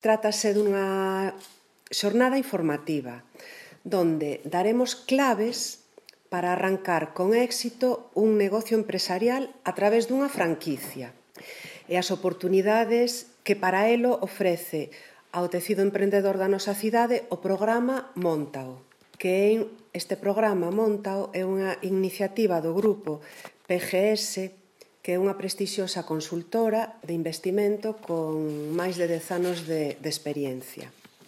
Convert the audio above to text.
Trátase dunha xornada informativa donde daremos claves para arrancar con éxito un negocio empresarial a través dunha franquicia e as oportunidades que para elo ofrece ao tecido emprendedor da nosa cidade o programa Móntao, que este programa Móntao é unha iniciativa do grupo PGS, que é unha prestixiosa consultora de investimento con máis de 10 anos de experiencia.